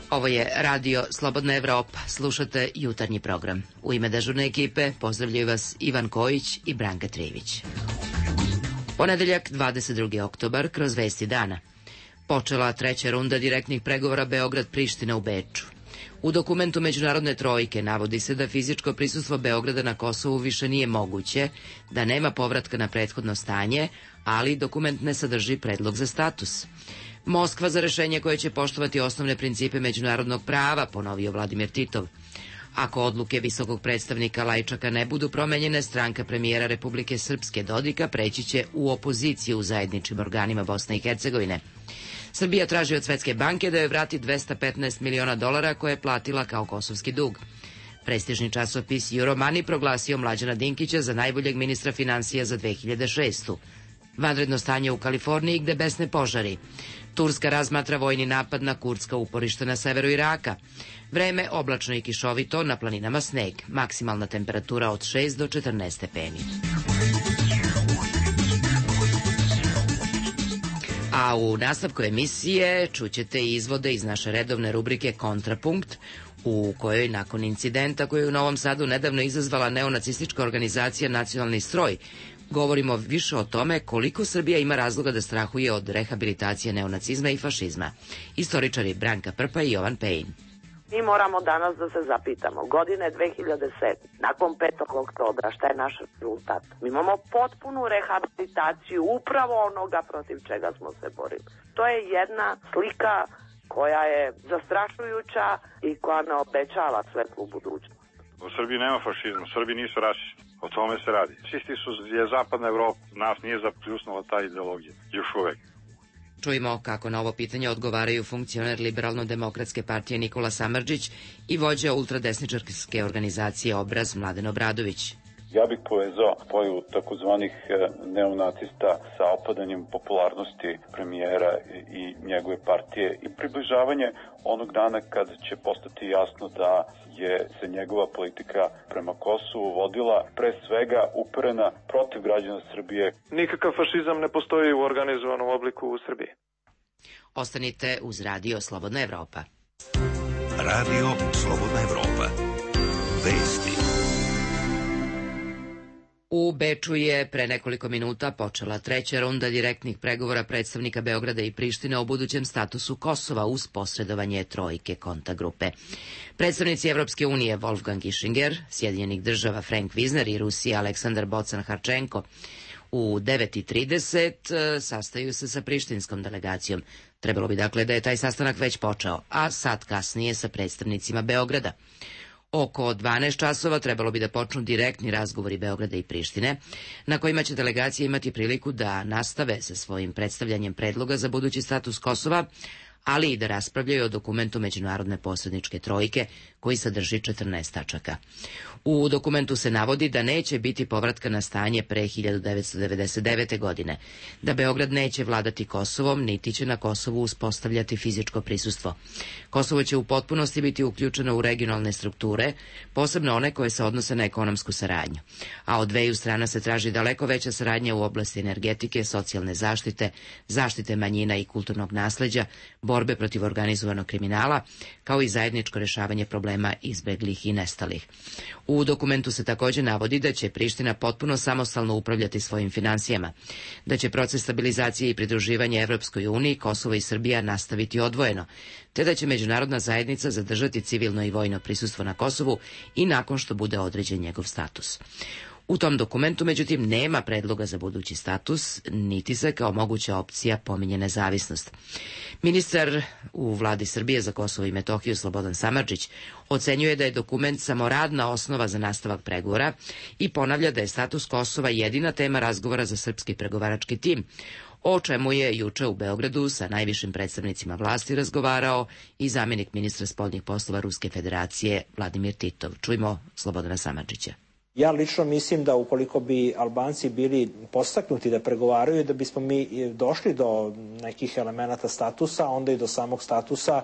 Ovo je Radio Slobodna Evropa. Slušate jutarnji program. U ime dežurne ekipe pozdravljaju vas Ivan Kojić i Branka Trivić. Ponedeljak, 22. oktobar, kroz vesti dana. Počela treća runda direktnih pregovora Beograd-Priština u Beču. U dokumentu Međunarodne trojke navodi se da fizičko prisustvo Beograda na Kosovu više nije moguće, da nema povratka na prethodno stanje, ali dokument ne sadrži predlog za status. Moskva za rešenje koje će poštovati osnovne principe međunarodnog prava, ponovio Vladimir Titov. Ako odluke visokog predstavnika Lajčaka ne budu promenjene, stranka premijera Republike Srpske Dodika preći će u opoziciju u zajedničkim organima Bosne i Hercegovine. Srbija traži od Svetske banke da joj vrati $215 miliona koje je platila kao kosovski dug. Prestižni časopis Euromoney proglasio Mlađana Dinkića za najboljeg ministra finansija za 2006. Vanredno stanje u Kaliforniji gde besne požari. Turska razmatra vojni napad na kurdska uporišta na severu Iraka. Vreme oblačno i kišovito, na planinama sneg. Maksimalna temperatura od 6 do 14 stepeni. A u nastavku emisije čućete izvode iz naše redovne rubrike Kontrapunkt, u kojoj nakon incidenta koji je u Novom Sadu nedavno izazvala neonacistička organizacija Nacionalni stroj, govorimo više o tome koliko Srbija ima razloga da strahuje od rehabilitacije neonacizma i fašizma. Istoričari Branka Prpa i Jovan Pejin. Mi moramo danas da se zapitamo. Godine 2007. Nakon 5. oktobra, šta je naš rezultat? Mi imamo potpunu rehabilitaciju upravo onoga protiv čega smo se borili. To je jedna slika koja je zastrašujuća i koja ne obećava svetlu budućnost. U Srbiji nema fašizma, Srbi nisu rasisti. O tome se radi. Čisti su je zapadna Evropa, nas nije zapljusnula ta ideologija, još uvek. Čujemo kako na ovo pitanje odgovaraju funkcioner Liberalno-demokratske partije Nikola Samardžić i vođa ultradesničarske organizacije Obraz Mladen Obradović. Ja bih povezao pojavu takozvanih neonacista sa opadanjem popularnosti premijera i njegove partije i približavanje onog dana kad će postati jasno da je se njegova politika prema Kosovu vodila pre svega uperena protiv građana Srbije. Nikakav fašizam ne postoji u organizovanom obliku u Srbiji. Ostanite uz Radio Slobodna Evropa. Radio Slobodna Evropa. Vesti. U Beču je pre nekoliko minuta počela treća runda direktnih pregovora predstavnika Beograda i Prištine o budućem statusu Kosova uz posredovanje trojke kontagrupe. Predstavnici Evropske unije Wolfgang Ischinger, Sjedinjenih država Frank Wisner i Rusije Aleksandar Bocan-Harčenko u 9:30 sastaju se sa prištinskom delegacijom. Trebalo bi dakle da je taj sastanak već počeo, a sat kasnije sa predstavnicima Beograda. Oko 12 časova trebalo bi da počnu direktni razgovori Beograda i Prištine, na kojima će delegacije imati priliku da nastave sa svojim predstavljanjem predloga za budući status Kosova, ali i da raspravljaju o dokumentu Međunarodne posredničke trojke, koji sadrži 14 tačaka. U dokumentu se navodi da neće biti povratka na stanje pre 1999. godine, da Beograd neće vladati Kosovom, niti će na Kosovu uspostavljati fizičko prisustvo. Kosovo će u potpunosti biti uključeno u regionalne strukture, posebno one koje se odnose na ekonomsku saradnju. A od dveju strana se traži daleko veća saradnja u oblasti energetike, socijalne zaštite, zaštite manjina i kulturnog nasleđa, borbe protiv organizovanog kriminala, kao i zajedničko rešavanje problema izbeglih i nestalih. U dokumentu se također navodi da će Priština potpuno samostalno upravljati svojim finansijama, da će proces stabilizacije i pridruživanja Evropskoj uniji Kosovo i Srbija nastaviti odvojeno, te da će međunarodna zajednica zadržati civilno i vojno prisustvo na Kosovu i nakon što bude određen njegov status. U tom dokumentu, međutim, nema predloga za budući status, niti se kao moguća opcija pominje nezavisnost. Ministar u vladi Srbije za Kosovo i Metohiju Slobodan Samardžić ocenjuje da je dokument samo radna osnova za nastavak pregovora i ponavlja da je status Kosova jedina tema razgovora za srpski pregovarački tim, o čemu je juče u Beogradu sa najvišim predstavnicima vlasti razgovarao i zamjenik ministra spoljnih poslova Ruske federacije Vladimir Titov. Čujmo Slobodana Samardžića. Ja lično mislim da ukoliko bi Albanci bili podstaknuti da pregovaraju, da bismo mi došli do nekih elemenata statusa, onda i do samog statusa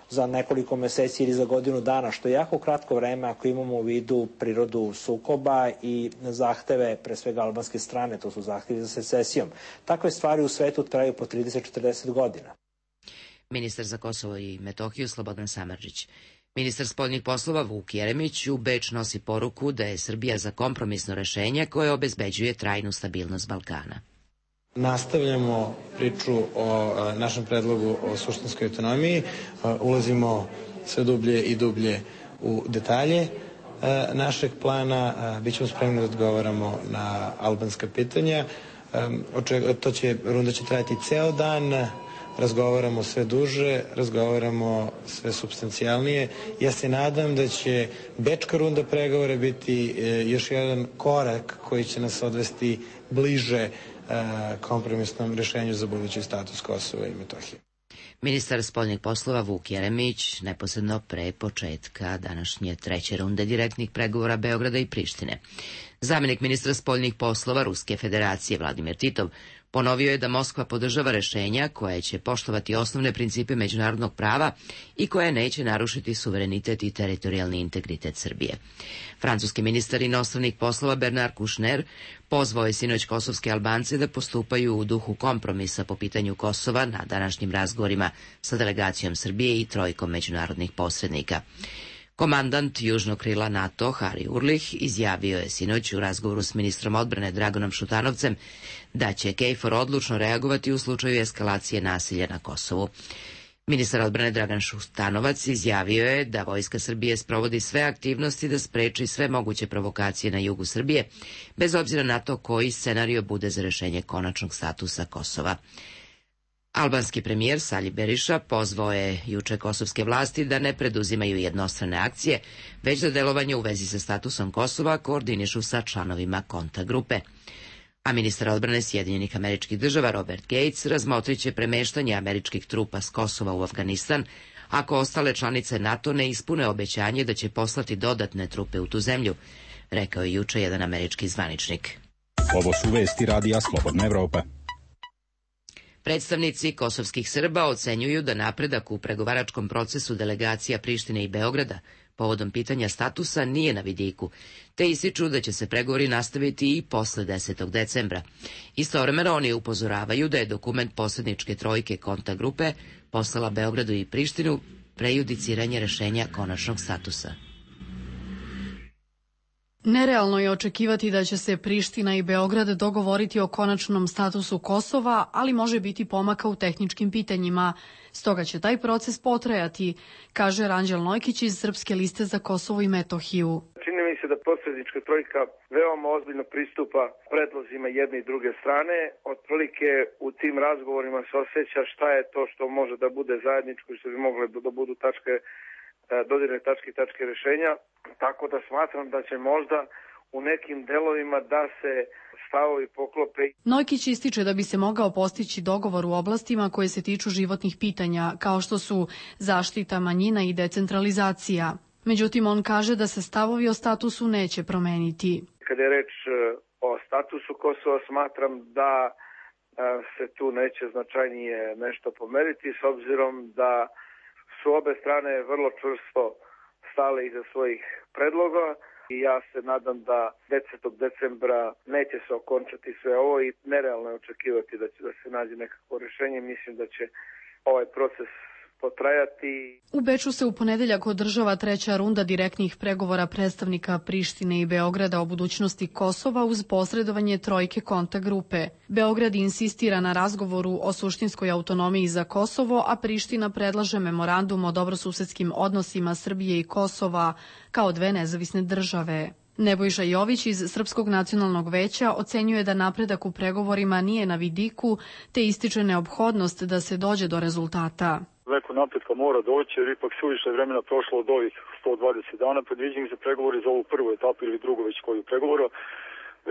za nekoliko meseci ili za godinu dana, što je jako kratko vreme ako imamo u vidu prirodu sukoba i zahteve pre svega albanske strane, to su zahtevi za secesijom. Takve stvari u svetu traju po 30-40 godina. ministar za Kosovo i Metohiju Slobodan Samardžić. Ministar spoljnih poslova Vuk Jeremić u Beč nosi poruku da je Srbija za kompromisno rešenje koje obezbeđuje trajnu stabilnost Balkana. Nastavljamo priču o našem predlogu o suštinskoj autonomiji, ulazimo sve dublje i dublje u detalje našeg plana, bit ćemo spremni da odgovaramo na albanska pitanja. Runda će trajati ceo dan, razgovaramo sve duže, razgovaramo sve supstancijalnije. Ja se nadam da će bečka runda pregovora biti još jedan korak koji će nas odvesti bliže kompromisnom rešenju za budući status Kosova i Metohije. Ministar spoljnih poslova Vuk Jeremić neposredno pre početka današnje treće runde direktnih pregovora Beograda i Prištine. Zamenik ministra spoljnih poslova Ruske federacije Vladimir Titov ponovio je da Moskva podržava rešenja koje će poštovati osnovne principe međunarodnog prava i koje neće narušiti suverenitet i teritorijalni integritet Srbije. Francuski ministar inostranih poslova Bernard Kouchner pozvao je sinoć kosovske Albance da postupaju u duhu kompromisa po pitanju Kosova na današnjim razgovorima sa delegacijom Srbije i trojkom međunarodnih posrednika. Komandant južnog krila NATO, Harry Urlich, izjavio je sinoć u razgovoru s ministrom odbrane Dragonom Šutanovcem da će KFOR odlučno reagovati u slučaju eskalacije nasilja na Kosovu. Ministar odbrane Dragan Šutanovac izjavio je da Vojska Srbije sprovodi sve aktivnosti da spreči sve moguće provokacije na jugu Srbije, bez obzira na to koji scenario bude za rešenje konačnog statusa Kosova. Albanski premijer Sali Beriša pozvao je juče kosovske vlasti da ne preduzimaju jednostrane akcije, već da delovanje u vezi sa statusom Kosova koordinišu sa članovima kontagrupe. A ministar odbrane Sjedinjenih Američkih Država Robert Gates razmotriće premeštanje američkih trupa s Kosova u Afganistan ako ostale članice NATO ne ispune obećanje da će poslati dodatne trupe u tu zemlju, rekao je juče jedan američki zvaničnik. Ovo su vesti Radija Slobodna Evropa. Predstavnici kosovskih Srba ocenjuju da napredak u pregovaračkom procesu delegacija Prištine i Beograda povodom pitanja statusa nije na vidiku, te ističu da će se pregovori nastaviti i posle 10. decembra. Istovremeno oni upozoravaju da je dokument posredničke trojke kontagrupe poslala Beogradu i Prištinu prejudiciranje rešenja konačnog statusa. Nerealno je očekivati da će se Priština i Beograd dogovoriti o konačnom statusu Kosova, ali može biti pomaka u tehničkim pitanjima. Stoga će taj proces potrajati, kaže Ranđel Nojkić iz Srpske liste za Kosovo i Metohiju. Čini mi se da posrednička trojka veoma ozbiljno pristupa predlozima jedne i druge strane. Otprilike u tim razgovorima se osjeća šta je to što može da bude zajedničko i što bi mogle da budu dodirne tačke rešenja, tako da smatram da će možda u nekim delovima da se stavovi poklope. Nojkić ističe da bi se mogao postići dogovor u oblastima koje se tiču životnih pitanja, kao što su zaštita manjina i decentralizacija. Međutim, on kaže da se stavovi o statusu neće promeniti. Kada je reč o statusu Kosova, smatram da se tu neće značajnije nešto pomeriti, s obzirom da su obe strane vrlo čvrsto stale iza svojih predloga i ja se nadam da 10. decembra neće se okončati sve ovo i nerealno je očekivati da će da se nađe nekako rešenje. Mislim da će ovaj proces potrajati. U Beču se u ponedeljak održava treća runda direktnih pregovora predstavnika Prištine i Beograda o budućnosti Kosova uz posredovanje trojke kontagrupe. Beograd insistira na razgovoru o suštinskoj autonomiji za Kosovo, a Priština predlaže memorandum o dobrosusedskim odnosima Srbije i Kosova kao dve nezavisne države. Nebojša Jović iz Srpskog nacionalnog veća ocenjuje da napredak u pregovorima nije na vidiku, te ističe neophodnost da se dođe do rezultata. Neko napretka mora doći jer ipak suviše vremena prošlo od ovih 120 dana. Predviđeni se pregovori za ovu prvu etapu ili drugu već koju pregovora.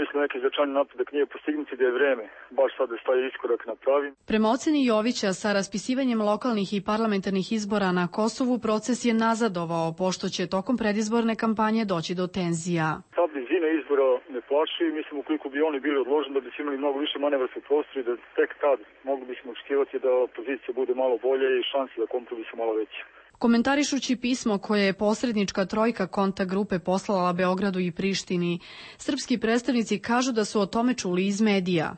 Mislim, neki značajni napredak nije postignuti, da je vreme baš sada staje iskorak napravi. Prema oceni Jovića, sa raspisivanjem lokalnih i parlamentarnih izbora na Kosovu proces je nazadovao, pošto će tokom predizborne kampanje doći do tenzija. Ta blizina izbora ne plaši, mislim, ukoliko bi oni bili odloženi da bi se imali mnogo više manevarskog prostora i da tek tad mogli bismo očekivati da pozicija bude malo bolje i šanse da kompromis su malo veće. Komentarišući pismo koje je posrednička trojka kontagrupe poslala Beogradu i Prištini, srpski predstavnici kažu da su o tome čuli iz medija.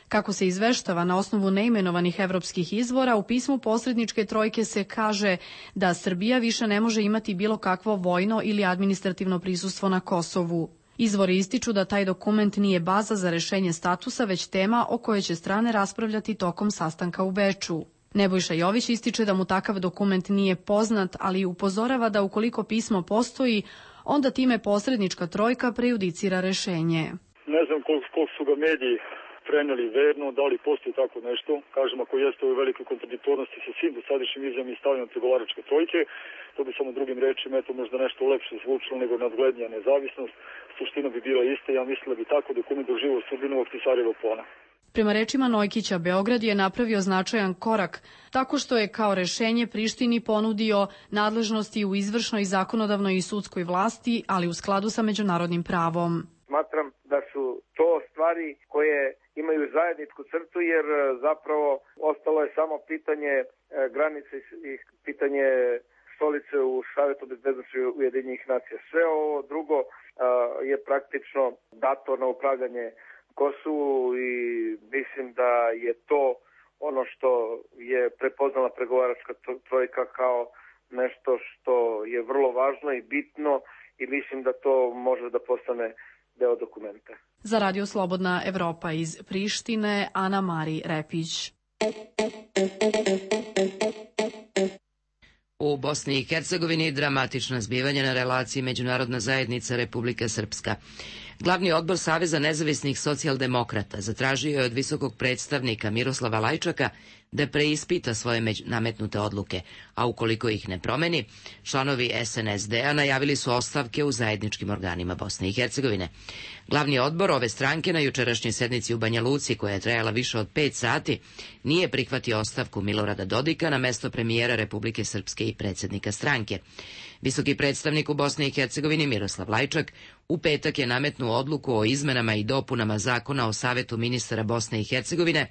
Kako se izveštava na osnovu neimenovanih evropskih izvora, u pismu posredničke trojke se kaže da Srbija više ne može imati bilo kakvo vojno ili administrativno prisustvo na Kosovu. Izvori ističu da taj dokument nije baza za rešenje statusa, već tema o kojoj će strane raspravljati tokom sastanka u Beču. Nebojša Jović ističe da mu takav dokument nije poznat, ali upozorava da ukoliko pismo postoji, onda time posrednička trojka prejudicira rešenje. Ne znam koliko su ga mediji preneli verno, da li postoji tako nešto. Kažem, ako jeste u velikoj kontradiktornosti sa svim dosadašnjim izjavama i stavljanjem pregovaračke trojke, to bi samo drugim rečima, eto možda nešto lepše zvučilo nego nadglednija nezavisnost. Suština bi bila ista, ja mislim da bi tako dokument doživio sudbinu Ahtisarjeva plana. Prema rečima Nojkića, Beograd je napravio značajan korak tako što je kao rešenje Prištini ponudio nadležnosti u izvršnoj, zakonodavnoj i sudskoj vlasti, ali u skladu sa međunarodnim pravom. Smatram da su to stvari koje imaju zajedničku crtu, jer zapravo ostalo je samo pitanje granice i pitanje stolice u Savetu bezbednosti Ujedinjenih nacija. Sve ovo drugo je praktično dato na upravljanje Kosovu i mislim da je to ono što je prepoznala pregovaračka trojka kao nešto što je vrlo važno i bitno i mislim da to može da postane deo dokumenta. Za Radio Slobodna Evropa iz Prištine, Ana Mari Repić. U Bosni i Hercegovini dramatična zbivanja na relaciji Međunarodna zajednica Republika Srpska. Glavni odbor Saveza nezavisnih socijaldemokrata zatražio je od visokog predstavnika Miroslava Lajčaka da preispita svoje nametnute odluke, a ukoliko ih ne promeni, članovi SNSD-a najavili su ostavke u zajedničkim organima Bosne i Hercegovine. Glavni odbor ove stranke na jučerašnjoj sednici u Banja Luci, koja je trajala više od 5 sati, nije prihvatio ostavku Milorada Dodika na mesto premijera Republike Srpske i predsjednika stranke. Visoki predstavnik u Bosni i Hercegovini Miroslav Lajčak u petak je nametnuo odluku o izmenama i dopunama Zakona o Savetu ministara Bosne i Hercegovine.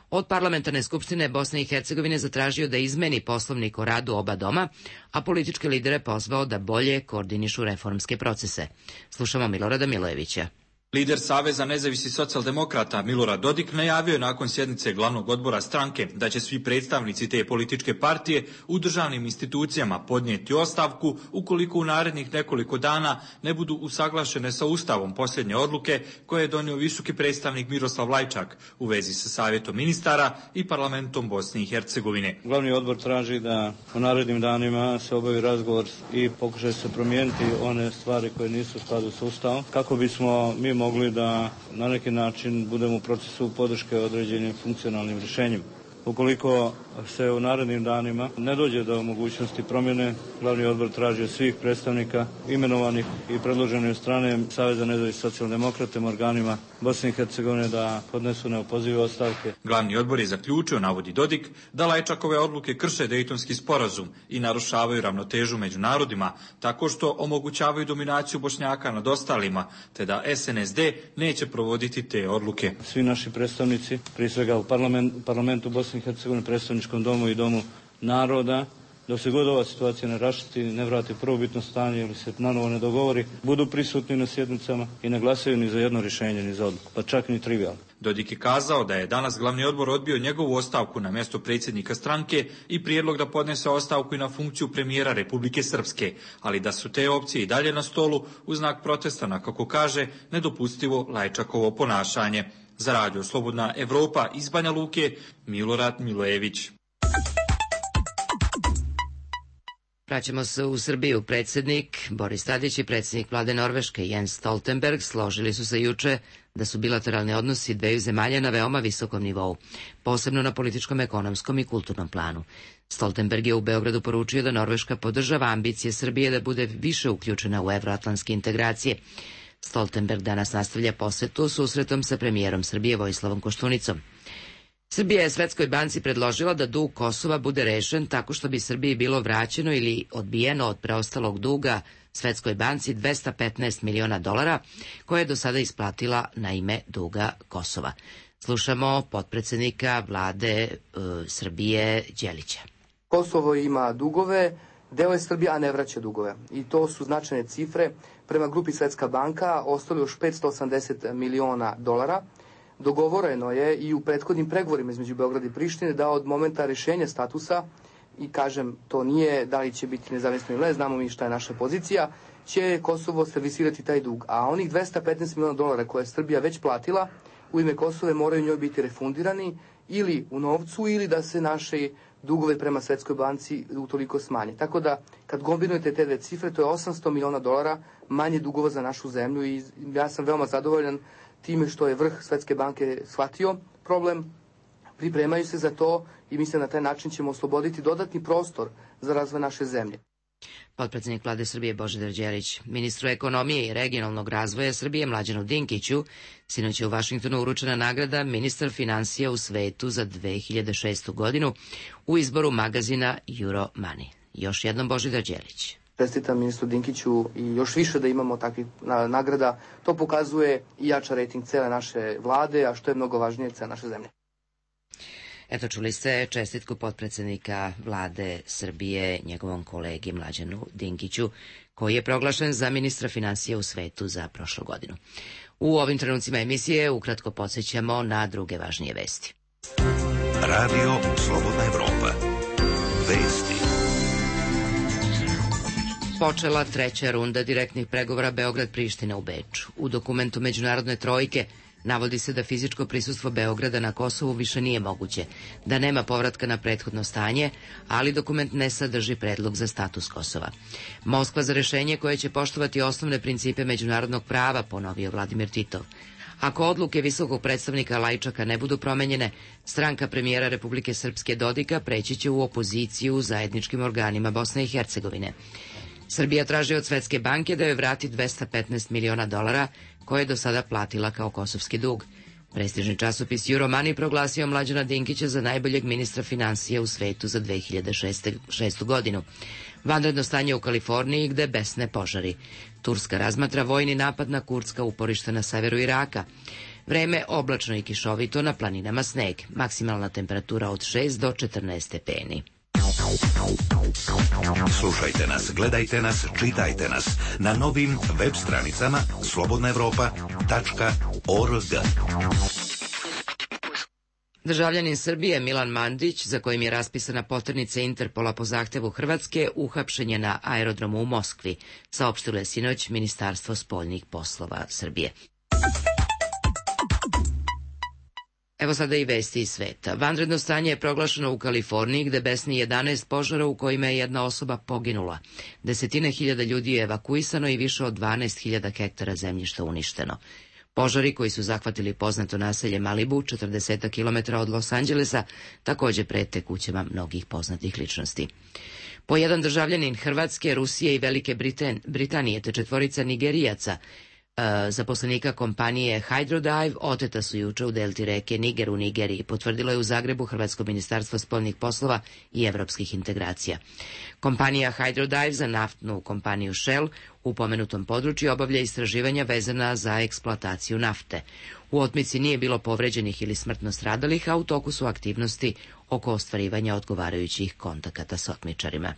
Od Parlamentarne skupštine Bosne i Hercegovine zatražio da izmeni poslovnik o radu oba doma, a političke lidere pozvao da bolje koordinišu reformske procese. Slušamo Milorada Milojevića. Lider Saveza nezavisnih socijaldemokrata Milorad Dodik najavio je nakon sjednice glavnog odbora stranke da će svi predstavnici te političke partije u državnim institucijama podnijeti ostavku ukoliko u narednih nekoliko dana ne budu usaglašene sa Ustavom posljednje odluke koje je donio visoki predstavnik Miroslav Lajčak u vezi sa Savjetom ministara i Parlamentom Bosne i Hercegovine. Glavni odbor traži da u narednim danima se obavi razgovor i pokušaju se promijeniti one stvari koje nisu u skladu sa Ustavom, kako bismo mi mogli da na neki način budemo u procesu podrške određenim funkcionalnim rješenjima. Ukoliko se u narednim danima ne dođe do mogućnosti promjene, glavni odbor traži od svih predstavnika imenovanih i predloženih od strane Saveza nezavisnih socijaldemokrata organima Bosne i Hercegovine da podnesu neopozive ostavke. Glavni odbor je zaključio, navodi Dodik, da Lajčakove odluke krše Dejtonski sporazum i narušavaju ravnotežu među narodima tako što omogućavaju dominaciju Bošnjaka nad ostalima, te da SNSD neće provoditi te odluke. Svi naši predstavnici, prije svega u parlamentu Bosne i Hercegovine, predstavničkom domu i domu naroda, dok se god ova situacija ne raščisti, ne vrati prvobitno stanje ili se nanovo ne dogovori, budu prisutni na sjednicama i ne glasaju ni za jedno rješenje, ni za odluku, pa čak ni trivijalno. Dodik je kazao da je danas glavni odbor odbio njegovu ostavku na mjesto predsjednika stranke i prijedlog da podnese ostavku i na funkciju premijera Republike Srpske, ali da su te opcije i dalje na stolu u znak protesta na, kako kaže, nedopustivo Lajčakovo ponašanje. Za Radio Slobodna Evropa iz Banja Luke, Milorad Milojević. Vraćamo se u Srbiju. Predsjednik Boris Tadić i predsjednik vlade Norveške Jens Stoltenberg složili su se juče da su bilateralni odnosi dveju zemalja na veoma visokom nivou, posebno na političkom, ekonomskom i kulturnom planu. Stoltenberg je u Beogradu poručio da Norveška podržava ambicije Srbije da bude više uključena u evroatlantske integracije. Stoltenberg danas nastavlja posetu susretom sa premijerom Srbije Vojislavom Koštunicom. Srbija je Svetskoj banci predložila da dug Kosova bude rešen tako što bi Srbiji bilo vraćeno ili odbijeno od preostalog duga Svetskoj banci $215 miliona koje je do sada isplatila na ime duga Kosova. Slušamo potpredsjednika vlade Srbije Đelića. Kosovo ima dugove, deo je Srbije, a ne vraća dugove. I to su značajne cifre. Prema grupi Svetska banka ostalo još $580 miliona. dogovoreno je i u prethodnim pregovorima između Beograda i Prištine da od momenta rješenja statusa, i kažem, to nije da li će biti nezavisno ili ne, znamo mi šta je naša pozicija, će Kosovo servisirati taj dug. A onih $215 miliona koje je Srbija već platila u ime Kosova moraju njoj biti refundirani ili u novcu ili da se naše dugove prema Svetskoj banci utoliko smanje. Tako da, kad kombinujete te dve cifre, to je $800 miliona manje dugova za našu zemlju i ja sam veoma zadovoljan time što je vrh Svetske banke shvatio problem, pripremaju se za to i mislim na taj način ćemo osloboditi dodatni prostor za razvoj naše zemlje. Potpredsjednik Vlade Srbije Božidar Đelić, ministru ekonomije i regionalnog razvoja Srbije Mlađanu Dinkiću, sinoć je u Vašingtonu uručena nagrada ministar finansija u svetu za 2006. godinu u izboru magazina Euromoney. Još jednom Božidar Đelić. Čestitam ministru Dinkiću i još više da imamo takvih nagrada. To pokazuje i jača rejting cele naše vlade, a što je mnogo važnije, cele naše zemlje. Eto, čuli ste čestitku potpredsjednika Vlade Srbije njegovom kolegi Mlađanu Dinkiću, koji je proglašen za ministra finansija u svetu za prošlu godinu. U ovim trenucima emisije ukratko podsjećamo na druge važnije vesti. Radio Slobodna Evropa. Vesti. Počela treća runda direktnih pregovora Beograd-Priština u Beču. U dokumentu Međunarodne trojke navodi se da fizičko prisustvo Beograda na Kosovu više nije moguće, da nema povratka na prethodno stanje, ali dokument ne sadrži predlog za status Kosova. Moskva za rešenje koje će poštovati osnovne principe međunarodnog prava, ponovio Vladimir Titov. Ako odluke visokog predstavnika Lajčaka ne budu promenjene, stranka premijera Republike Srpske Dodika preći će u opoziciju u zajedničkim organima Bosne i Hercegovine. Srbija traži od Svetske banke da joj vrati $215 miliona koje je do sada platila kao kosovski dug. Prestižni časopis Euromoney proglasio Mlađana Dinkića za najboljeg ministra finansija u svetu za 2006. godinu. Vanredno stanje u Kaliforniji gde besne požari. Turska razmatra vojni napad na kurdska uporišta na severu Iraka. Vreme oblačno i kišovito, na planinama sneg. Maksimalna temperatura od 6 do 14 stepeni. Slušajte nas, gledajte nas, čitajte nas na novim web stranicama slobodnaevropa.org. Državljanin Srbije Milan Mandić, za kojim je raspisana poternica Interpola po zahtevu Hrvatske, uhapšen je na aerodromu u Moskvi, saopštilo je sinoć Ministarstvo spoljnih poslova Srbije. Evo sada i vesti iz sveta. Vanredno stanje je proglašeno u Kaliforniji gde besni 11 požara u kojima je jedna osoba poginula. Desetine hiljada ljudi je evakuisano i više od 12.000 hektara zemljišta uništeno. Požari koji su zahvatili poznato naselje Malibu, 40 km od Los Angelesa, također prete kućama mnogih poznatih ličnosti. Po jedan državljanin Hrvatske, Rusije i Velike Britanije te četvorica Nigerijaca, zaposlenika kompanije Hydrodive, oteta su juče u delti reke Niger u Nigeriji, potvrdilo je u Zagrebu Hrvatsko ministarstvo spoljnih poslova i evropskih integracija. Kompanija Hydrodive za naftnu kompaniju Shell u pomenutom području obavlja istraživanja vezana za eksploataciju nafte. U otmici nije bilo povređenih ili smrtno stradalih, a u toku su aktivnosti oko ostvarivanja odgovarajućih kontakata s otmičarima.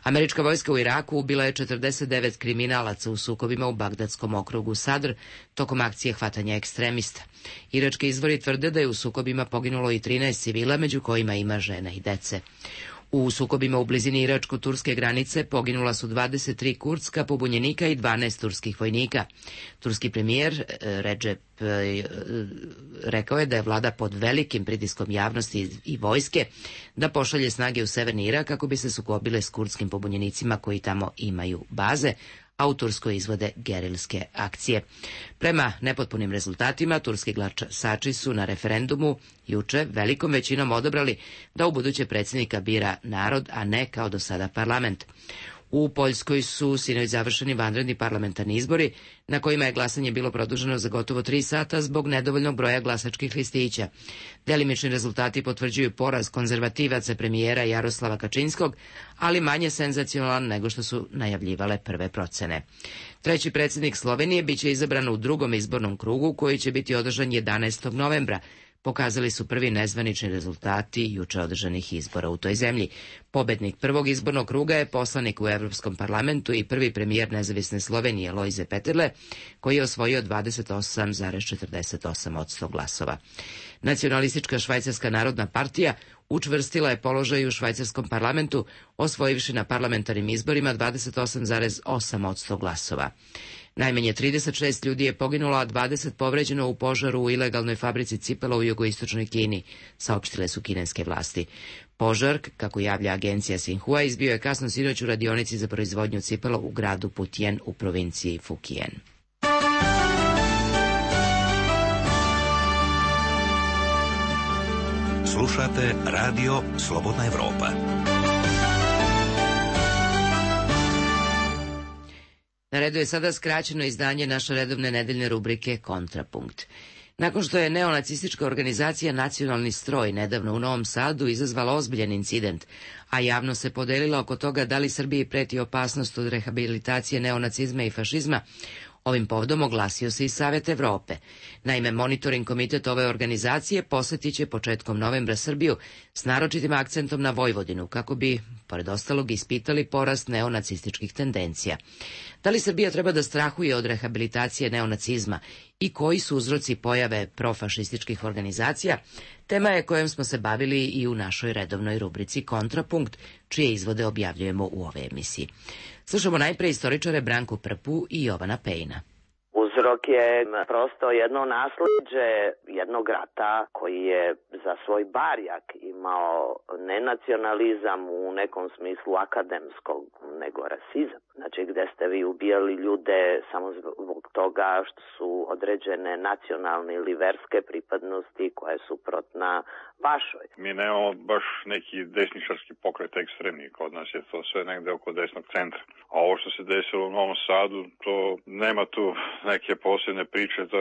Američka vojska u Iraku ubila je 49 kriminalaca u sukobima u Bagdadskom okrugu Sadr tokom akcije hvatanja ekstremista. Irački izvori tvrde da je u sukobima poginulo i 13 civila, među kojima ima žena i dece. U sukobima u blizini iračko-turske granice poginula su 23 kurdska pobunjenika i 12 turskih vojnika. Turski premijer Recep rekao je da je vlada pod velikim pritiskom javnosti i vojske da pošalje snage u severni Irak kako bi se sukobile s kurdskim pobunjenicima koji tamo imaju baze, a u Turskoj izvode gerilske akcije. Prema nepotpunim rezultatima, turski glasači su na referendumu juče velikom većinom odabrali da ubuduće predsjednika bira narod, a ne kao do sada parlament. U Poljskoj su sinoć završeni vanredni parlamentarni izbori, na kojima je glasanje bilo produženo za gotovo 3 sata zbog nedovoljnog broja glasačkih listića. Delimični rezultati potvrđuju poraz konzervativaca premijera Jaroslava Kačinskog, ali manje senzacionalan nego što su najavljivale prve procene. Treći predsjednik Slovenije biće izabran u drugom izbornom krugu koji će biti održan 11. novembra. pokazali su prvi nezvanični rezultati juče održanih izbora u toj zemlji. Pobednik prvog izbornog kruga je poslanik u Evropskom parlamentu i prvi premijer nezavisne Slovenije Lojze Peterle, koji je osvojio 28,48% glasova. Nacionalistička švajcarska narodna partija učvrstila je položaj u švajcarskom parlamentu, osvojivši na parlamentarnim izborima 28,8% glasova. Najmanje 36 ljudi je poginulo, a 20 povređeno u požaru u ilegalnoj fabrici cipela u jugoistočnoj Kini, saopštile su kineske vlasti. Požar, kako javlja agencija Xinhua, izbio je kasno sinoć u radionici za proizvodnju cipela u gradu Putian u provinciji Fukien. Slušate radio Slobodna Evropa. Na redu je sada skraćeno izdanje naše redovne nedeljne rubrike Kontrapunkt. Nakon što je neonacistička organizacija Nacionalni stroj nedavno u Novom Sadu izazvala ozbiljan incident, a javno se podelila oko toga da li Srbiji preti opasnost od rehabilitacije neonacizma i fašizma, ovim povodom oglasio se i Savet Evrope. Naime, monitoring komitet ove organizacije posjetit će početkom novembra Srbiju s naročitim akcentom na Vojvodinu, kako bi, pored ostalog, ispitali porast neonacističkih tendencija. Da li Srbija treba da strahuje od rehabilitacije neonacizma i koji su uzroci pojave profašističkih organizacija, tema je kojom smo se bavili i u našoj redovnoj rubrici Kontrapunkt, čije izvode objavljujemo u ove emisiji. Slušamo najpre istoričare Branku Prpu i Jovana Pejna. Uzrok je prosto jedno nasleđe jednog rata koji je za svoj barjak imao ne nacionalizam u nekom smislu akademskog, nego rasizam. Znači gde ste vi ubijali ljude samo zbog toga što su određene nacionalne ili verske pripadnosti koje su suprotna vašoj. Mi nemamo baš neki desničarski pokret ekstremni, kod nas je to sve negde oko desnog centra. A ovo što se desilo u Novom Sadu, to nema tu neke posebne priče, to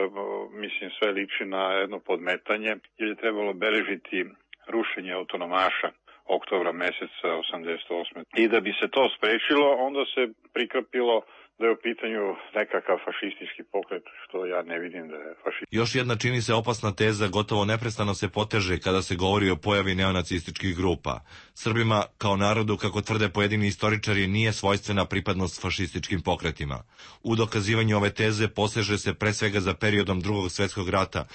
mislim sve liči na jedno podmetanje, jer je trebalo beležiti rušenje autonomaša oktobra meseca 88. I da bi se to sprečilo, onda se prikrpilo da je u pitanju nekakav fašistički pokret, što ja ne vidim da je fašistički. Još jedna čini se opasna teza gotovo neprestano se poteže kada se govori o pojavi neonacističkih grupa. Srbima, kao narodu, kako tvrde pojedini istoričari, nije svojstvena pripadnost fašističkim pokretima. U dokazivanju ove teze poseže se pre svega za periodom Drugog svjetskog rata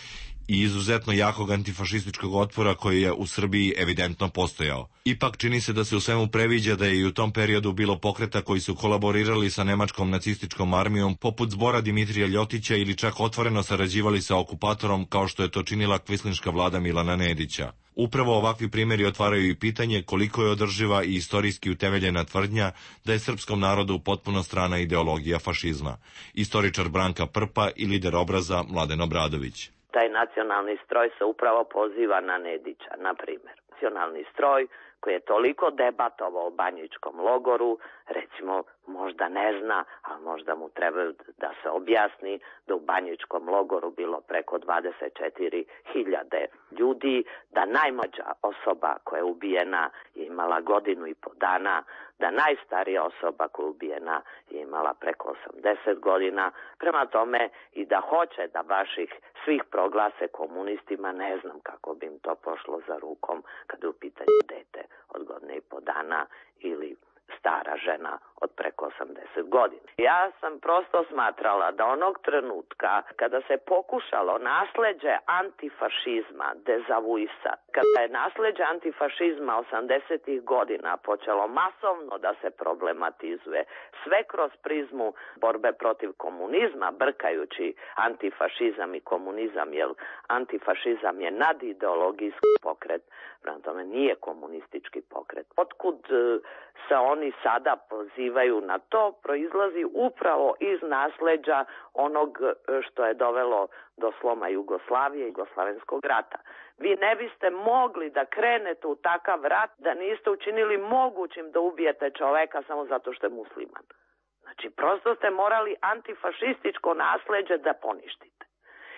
i izuzetno jakog antifašističkog otpora koji je u Srbiji evidentno postojao. Ipak čini se da se u svemu previđa da je i u tom periodu bilo pokreta koji su kolaborirali sa nemačkom nacističkom armijom poput Zbora Dimitrija Ljotića ili čak otvoreno sarađivali sa okupatorom kao što je to činila kvislinška vlada Milana Nedića. Upravo ovakvi primjeri otvaraju i pitanje koliko je održiva i istorijski utemeljena tvrdnja da je srpskom narodu potpuno strana ideologija fašizma. Istoričar Branka Prpa i lider Obraza Mladen Obradović. Taj nacionalni stroj se upravo poziva na Nedića, na primjer. Nacionalni stroj koji je toliko debatovao o banjičkom logoru, recimo možda ne zna, ali možda mu treba da se objasni da u banjičkom logoru bilo preko 24.000 ljudi, da najmlađa osoba koja je ubijena je imala 1,5 godinu, da najstarija osoba koja je ubijena je imala preko 80 godina, prema tome i da hoće da baš ih svih proglase komunistima, ne znam kako bi im to pošlo za rukom kad je u pitanju dete od 1,5 godina ili stara žena od preko 80 godina. Ja sam prosto smatrala da onog trenutka kada se pokušalo nasleđe antifašizma dezavuisati, kada je nasleđe antifašizma 80-ih godina počelo masovno da se problematizuje, sve kroz prizmu borbe protiv komunizma, brkajući antifašizam i komunizam, jer antifašizam je nadideologijski pokret, prema tome nije komunistički pokret. Otkud se oni sada pozivaju na to, proizlazi upravo iz nasleđa onog što je dovelo do sloma Jugoslavije i Jugoslavenskog rata. Vi ne biste mogli da krenete u takav rat da niste učinili mogućim da ubijete čoveka samo zato što je musliman. Znači, prosto ste morali antifašističko nasleđe da poništite.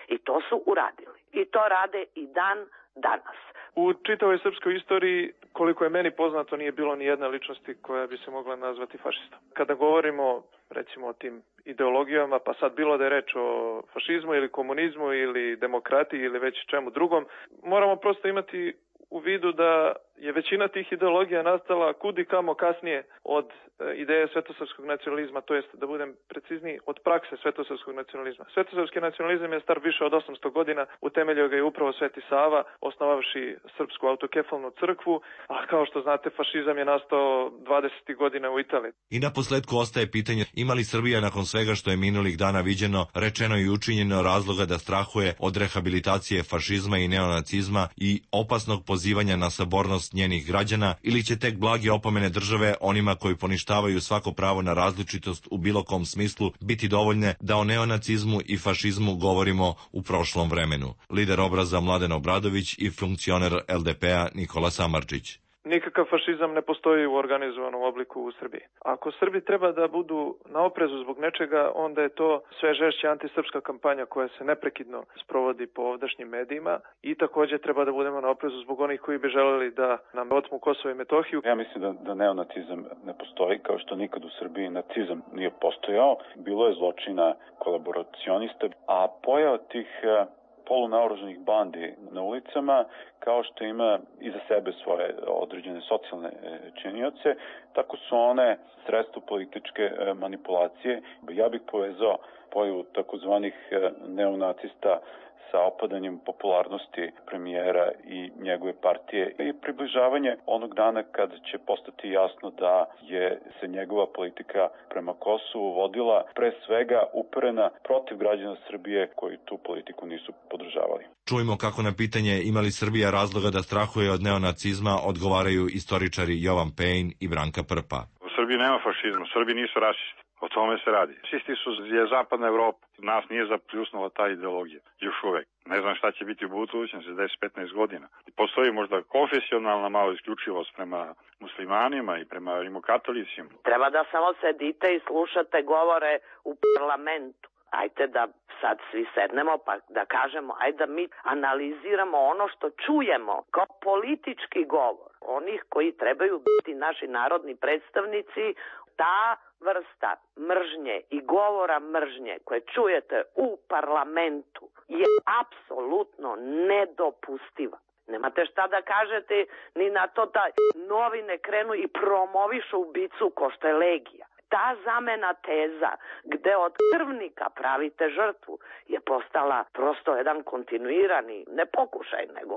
I to su uradili. I to rade i dan danas. U čitavoj srpskoj istoriji koliko je meni poznato, nije bilo ni jedne ličnosti koja bi se mogla nazvati fašistom. Kada govorimo, recimo, o tim ideologijama, pa sad bilo da je reč o fašizmu ili komunizmu ili demokratiji ili već čemu drugom, moramo prosto imati u vidu da je većina tih ideologija nastala kudi kamo kasnije od ideje svetosrpskog nacionalizma, to jest, da budem precizniji, od prakse svetosrpskog nacionalizma. Svetosrpski nacionalizam je star više od 800 godina, utemeljio ga je upravo Sveti Sava, osnovavši Srpsku autokefalnu crkvu, a kao što znate, fašizam je nastao 20. godina u Italiji. I na posledku ostaje pitanje, ima li Srbija nakon svega što je minulih dana viđeno, rečeno i učinjeno razloga da strahuje od rehabilitacije fašizma i neonacizma i opasnog pozivanja na sabornost njenih građana, ili će tek blage opomene države onima koji poništavaju svako pravo na različitost u bilo kom smislu biti dovoljne da o neonacizmu i fašizmu govorimo u prošlom vremenu. Lider Obraza Mladen Obradović i funkcioner LDP-a Nikola Samardžić. Nikakav fašizam ne postoji u organizovanom obliku u Srbiji. Ako Srbi treba da budu na oprezu zbog nečega, onda je to sve žešća antisrpska kampanja koja se neprekidno sprovodi po ovdašnjim medijima i takođe treba da budemo na oprezu zbog onih koji bi želeli da nam otmu Kosovo i Metohiju. Ja mislim da neonacizam ne postoji, kao što nikad u Srbiji nacizam nije postojao. Bilo je zločina kolaboracionista, a pojava tih polunaoružanih bandi na ulicama, kao što ima iza sebe svoje određene socijalne činioce, tako su one sredstvo političke manipulacije. Ja bih povezao pojavu takozvanih neonacista sa opadanjem popularnosti premijera i njegove partije i približavanje onog dana kad će postati jasno da je se njegova politika prema Kosovu vodila pre svega uperena protiv građana Srbije koji tu politiku nisu podržavali. Čujmo kako na pitanje ima li Srbija razloga da strahuje od neonacizma odgovaraju istoričari Jovan Pejn i Branka Prpa. U Srbiji nema fašizma, u Srbiji nisu rasisti. O tome se radi. Čisti je zapadna Evropa. Nas nije zapljusnula ta ideologija. Još uvek. Ne znam šta će biti u budućnosti za 10-15 godina. Postoji možda konfesionalna malo isključivost prema muslimanima i prema rimokatolicima. Treba da samo sedite i slušate govore u parlamentu. Ajde da sad svi sednemo pa da kažemo, ajde da mi analiziramo ono što čujemo kao politički govor onih koji trebaju biti naši narodni predstavnici. Ta vrsta mržnje i govora mržnje koje čujete u parlamentu je apsolutno nedopustiva. Nemate šta da kažete ni na to da novine krenu i promovišu ubicu ko što je Legija. Ta zamena teza gde od krvnika pravite žrtvu je postala prosto jedan kontinuirani, ne pokušaj, nego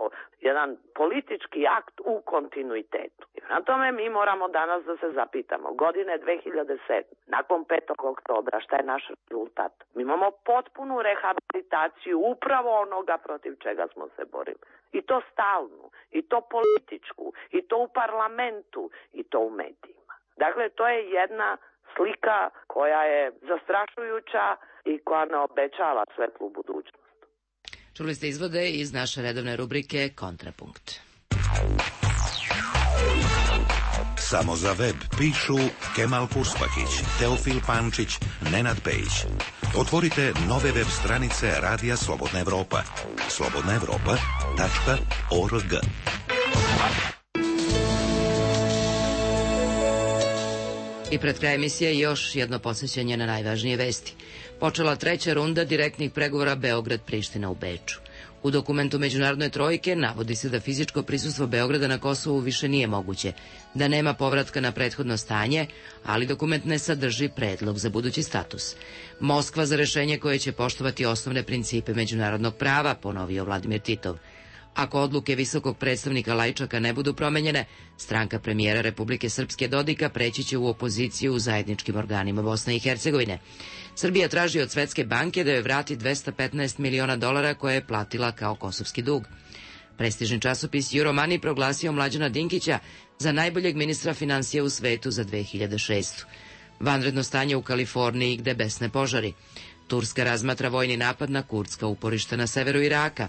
jedan politički akt u kontinuitetu. I na tome mi moramo danas da se zapitamo. Godine 2007, nakon 5. oktobra, šta je naš rezultat? Mi imamo potpunu rehabilitaciju upravo onoga protiv čega smo se borili. I to stalnu, i to političku, i to u parlamentu, i to u medijima. Dakle, to je jedna slika koja je zastrašujuća i koja ne obećava svetlu budućnost. Čuli ste izvode iz naše redovne rubrike Kontrapunkt. Samo za web pišu Kemal Purspahić, Teofil Pančić, Nenad Pejić. Otvorite nove web stranice Radija Slobodna Evropa. slobodnaevropa.org. I pred kraj emisije još jedno posvećenje na najvažnije vesti. Počela treća runda direktnih pregovora Beograd-Priština u Beču. U dokumentu Međunarodne trojke navodi se da fizičko prisustvo Beograda na Kosovu više nije moguće, da nema povratka na prethodno stanje, ali dokument ne sadrži predlog za budući status. Moskva za rešenje koje će poštovati osnovne principe međunarodnog prava, ponovio Vladimir Titov. Ako odluke visokog predstavnika Lajčaka ne budu promenjene, stranka premijera Republike Srpske Dodika preći će u opoziciju u zajedničkim organima Bosne i Hercegovine. Srbija traži od Svetske banke da joj vrati $215 miliona koje je platila kao kosovski dug. Prestižni časopis Euromoney proglasio Mlađana Dinkića za najboljeg ministra finansija u svetu za 2006. Vanredno stanje u Kaliforniji gde besne požari. Turska razmatra vojni napad na kurdska uporišta na severu Iraka.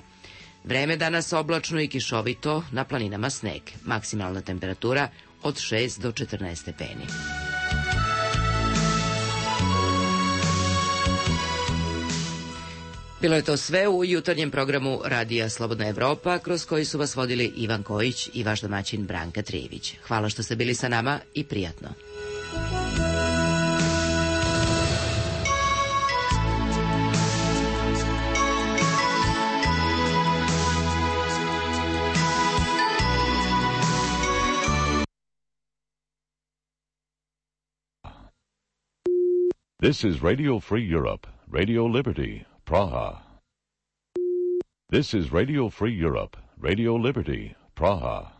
Vreme danas oblačno i kišovito, na planinama sneg. Maksimalna temperatura od 6 do 14 stepeni. Bilo je to sve u jutarnjem programu Radija Slobodna Evropa, kroz koji su vas vodili Ivan Kojić i vaš domaćin Branka Trijević. Hvala što ste bili sa nama i prijatno. This is Radio Free Europe, Radio Liberty, Praha. This is Radio Free Europe, Radio Liberty, Praha.